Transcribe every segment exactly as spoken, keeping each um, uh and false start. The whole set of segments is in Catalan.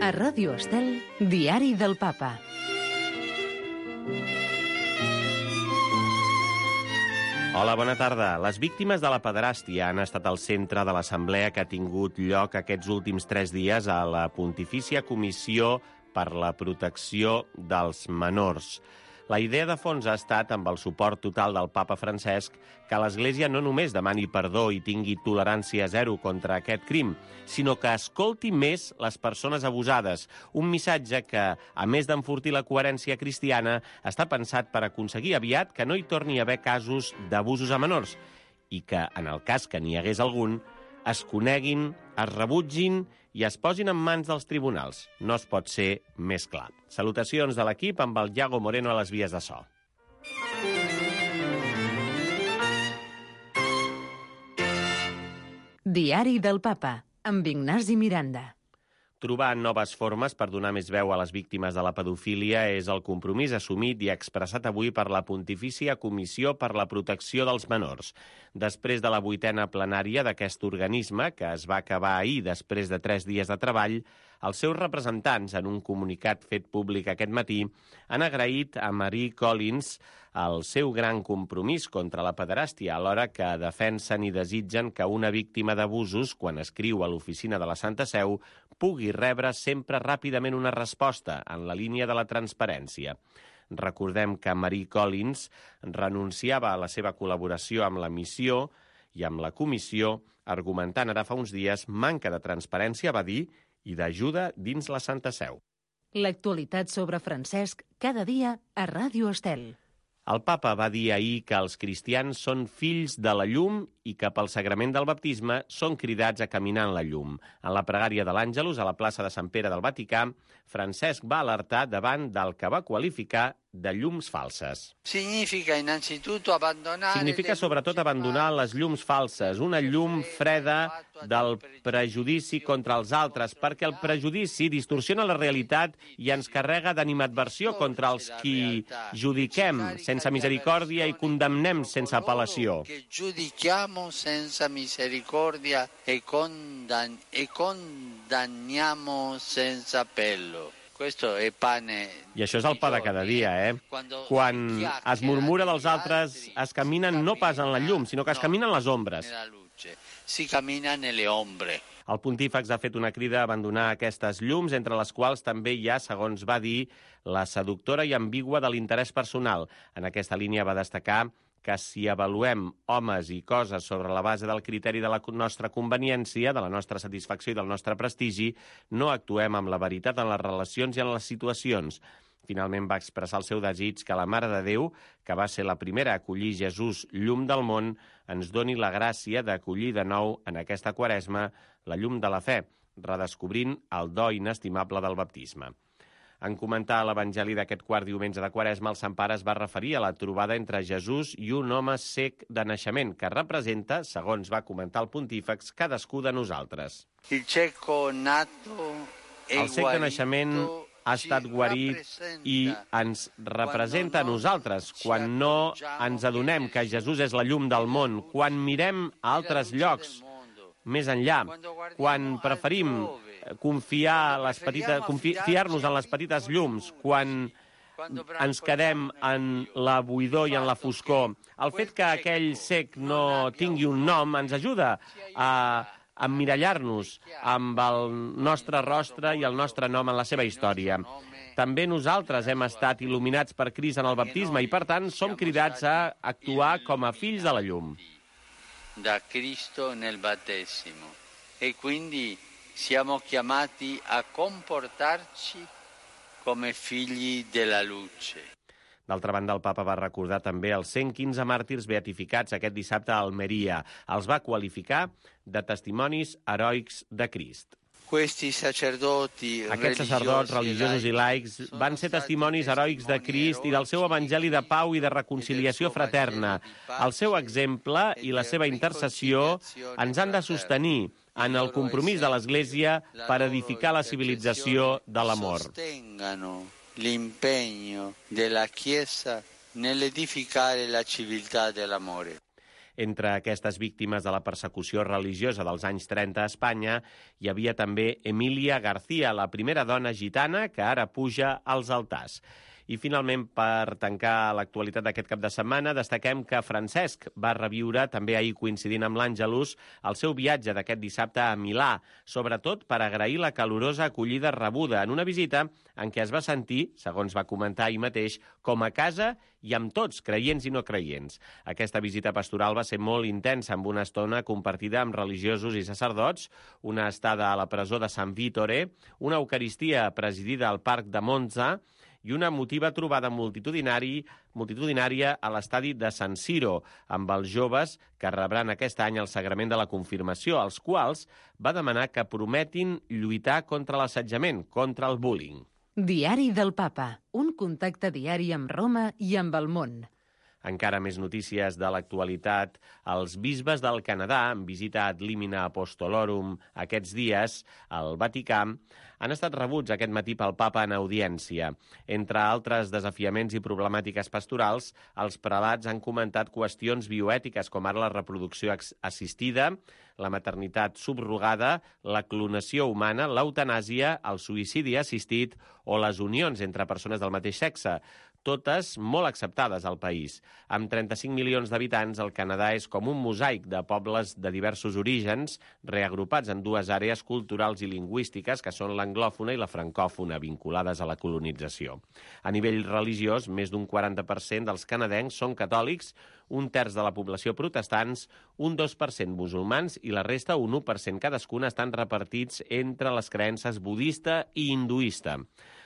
A Ràdio Estel, Diari del Papa. Hola, bona tarda. Les víctimes de la pederàstia han estat al centre de l'assemblea que ha tingut lloc aquests últims tres dies a la Pontifícia Comissió per la Protecció dels Menors. La idea de fons ha estat, amb el suport total del papa Francesc, que l'Església no només demani perdó i tingui tolerància zero contra aquest crim, sinó que escolti més les persones abusades. Un missatge que, a més d'enfortir la coherència cristiana, està pensat per aconseguir aviat que no hi torni a haver casos d'abusos a menors i que, en el cas que n'hi hagués algun, es coneguin, es rebutgin i es posin en mans dels tribunals. No es pot ser més clar. Salutacions de l'equip amb el Iago Moreno a les vies de so. Diari del Papa, amb Ignasi Miranda. Trobar noves formes per donar més veu a les víctimes de la pedofília és el compromís assumit i expressat avui per la Pontifícia Comissió per la Protecció dels Menors. Després de la vuitena plenària d'aquest organisme, que es va acabar ahir després de tres dies de treball, els seus representants, en un comunicat fet públic aquest matí, han agraït a Marie Collins el seu gran compromís contra la pederàstia, alhora que defensen i desitgen que una víctima d'abusos, quan escriu a l'oficina de la Santa Seu, pugui rebre sempre ràpidament una resposta en la línia de la transparència. Recordem que Marie Collins renunciava a la seva col·laboració amb la missió i amb la comissió, argumentant ara fa uns dies manca de transparència, va dir, i d'ajuda dins la Santa Seu. L'actualitat sobre Francesc, cada dia a Ràdio Estel. El papa va dir ahir que els cristians són fills de la llum i que pel sagrament del baptisme són cridats a caminar en la llum. En la pregària de l'Àngelus, a la plaça de Sant Pere del Vaticà, Francesc va alertar davant del que va qualificar de llums falses. Significa innanzitutto abbandonare Significa sobretot abandonar les llums falses, una llum freda del prejudici contra els altres, perquè el prejudici distorsiona la realitat i ens carrega d'animadversió contra els qui judiquem sense misericòrdia i condemnem sense apel·lació. Que giudichiamo senza misericordia e, condan- e condanniamo senza appello. Questo è pane. I això és el pa de cada dia, eh? Quan es murmura dels altres, es caminen no pas en la llum, sinó que es caminen en les ombres. Si camina nelle ombre. El pontífex ha fet una crida a abandonar aquestes llums, entre les quals també hi ha, segons va dir, la seductora i ambigua de l'interès personal. En aquesta línia va destacar que si avaluem homes i coses sobre la base del criteri de la nostra conveniència, de la nostra satisfacció i del nostre prestigi, no actuem amb la veritat en les relacions i en les situacions. Finalment va expressar el seu desig que la Mare de Déu, que va ser la primera a acollir Jesús, llum del món, ens doni la gràcia d'acollir de nou en aquesta quaresma la llum de la fe, redescobrint el do inestimable del baptisme. En comentar l'Evangeli d'aquest quart diumenge de Quaresma, el Sant Pare es va referir a la trobada entre Jesús i un home cec de naixement, que representa, segons va comentar el pontífex, cadascú de nosaltres. Il cieco nato e El cec de naixement ha estat guarit i ens representa a nosaltres. Quan no ens adonem que Jesús és la llum del món, quan mirem a altres llocs més enllà, quan preferim confiar les petites, confi, fiar-nos en les petites llums, quan ens quedem en la buidor i en la foscor. El fet que aquell cec no tingui un nom ens ajuda a emmirallar-nos amb el nostre rostre i el nostre nom en la seva història. També nosaltres hem estat il·luminats per Crist en el baptisme i, per tant, som cridats a actuar com a fills de la llum. Da Cristo nel battesimo. E quindi siamo chiamati a comportarci come figli della luce. D'altra banda, el papa va recordar també els cent quinze màrtirs beatificats aquest dissabte a Almeria. Els va qualificar de testimonis heroics de Crist. Aquests sacerdots religiosos i laics van ser testimonis heroics de Crist i del seu evangeli de pau i de reconciliació fraterna. El seu exemple i la seva intercessió ens han de sostenir en el compromís de l'Església per edificar la civilització de l'amor. L'impegno della Chiesa nell'edificare la civiltà dell'amore. Entre aquestes víctimes de la persecució religiosa dels anys trenta a Espanya hi havia també Emília García, la primera dona gitana que ara puja als altars. I finalment, per tancar l'actualitat d'aquest cap de setmana, destaquem que Francesc va reviure, també ahir coincidint amb l'Àngelus, el seu viatge d'aquest dissabte a Milà, sobretot per agrair la calorosa acollida rebuda en una visita en què es va sentir, segons va comentar ahir mateix, com a casa i amb tots, creients i no creients. Aquesta visita pastoral va ser molt intensa, amb una estona compartida amb religiosos i sacerdots, una estada a la presó de Sant Vittore, una eucaristia presidida al Parc de Monza i una emotiva trobada multitudinari, multitudinària a l'estadi de San Siro, amb els joves que rebran aquest any el sagrament de la confirmació, als quals va demanar que prometin lluitar contra l'assetjament, contra el bullying. Diari del Papa, un contacte diari amb Roma i amb el món. Encara més notícies de l'actualitat. Els bisbes del Canadà, en visita ad limina apostolorum aquests dies al Vaticà, han estat rebuts aquest matí pel papa en audiència. Entre altres desafiaments i problemàtiques pastorals, els prelats han comentat qüestions bioètiques com ara la reproducció assistida, la maternitat subrogada, la clonació humana, l'eutanàsia, el suïcidi assistit o les unions entre persones del mateix sexe, totes molt acceptades al país. Amb trenta-cinc milions d'habitants, el Canadà és com un mosaic de pobles de diversos orígens, reagrupats en dues àrees culturals i lingüístiques, que són l'anglòfona i la francòfona, vinculades a la colonització. A nivell religiós, més d'un quaranta per cent dels canadencs són catòlics, un terç de la població protestants, un dos per cent musulmans i la resta, un u per cent cadascun, estan repartits entre les creences budista i hinduista.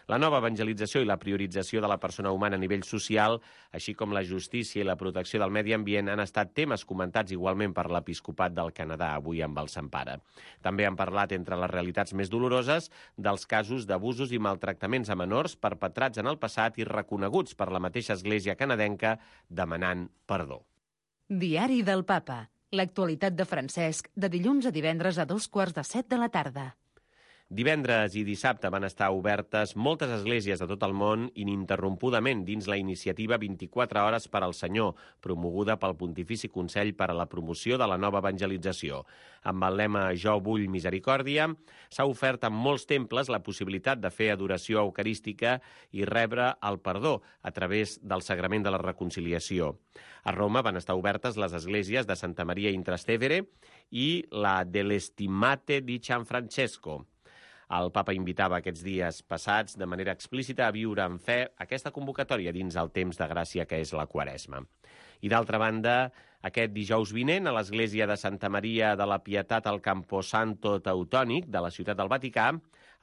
La nova evangelització i la priorització de la persona humana a nivell social, així com la justícia i la protecció del medi ambient, han estat temes comentats igualment per l'Episcopat del Canadà, avui amb el Sant Pare. També han parlat, entre les realitats més doloroses, dels casos d'abusos i maltractaments a menors perpetrats en el passat i reconeguts per la mateixa Església canadenca, demanant perdó. Diari del Papa. L'actualitat de Francesc, de dilluns a divendres a dos quarts de set de la tarda. Divendres i dissabte van estar obertes moltes esglésies de tot el món ininterrompudament dins la iniciativa vint-i-quatre hores per al Senyor, promoguda pel Pontifici Consell per a la Promoció de la Nova Evangelització. Amb el lema Jo vull misericòrdia, s'ha ofert en molts temples la possibilitat de fer adoració eucarística i rebre el perdó a través del sagrament de la reconciliació. A Roma van estar obertes les esglésies de Santa Maria in Trastevere i la dell'Estimate di San Francesco. El papa invitava aquests dies passats de manera explícita a viure en fe aquesta convocatòria dins el temps de gràcia que és la Quaresma. I d'altra banda, aquest dijous vinent, a l'església de Santa Maria de la Pietat al Camposanto Teutònic de la ciutat del Vaticà,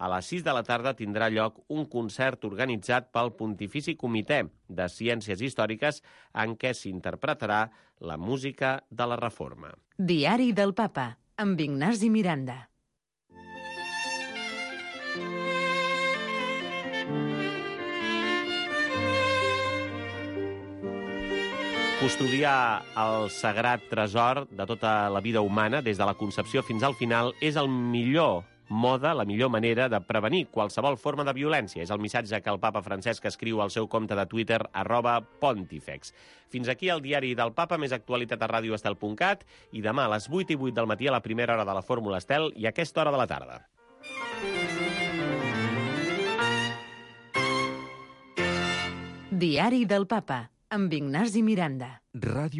a les sis de la tarda tindrà lloc un concert organitzat pel Pontifici Comitè de Ciències Històriques en què s'interpretarà la música de la Reforma. Diari del Papa, amb Ignasi Miranda. Custodiar el sagrat tresor de tota la vida humana, des de la concepció fins al final, és el millor mode, la millor manera de prevenir qualsevol forma de violència. És el missatge que el papa Francesc escriu al seu compte de Twitter, arroba pontifex. Fins aquí el diari del papa, més actualitat a radio estel punt cat, i demà a les vuit i vuit del matí a la primera hora de la Fórmula Estel i a aquesta hora de la tarda. Diari del Papa, amb Ignasi Miranda. Ràdio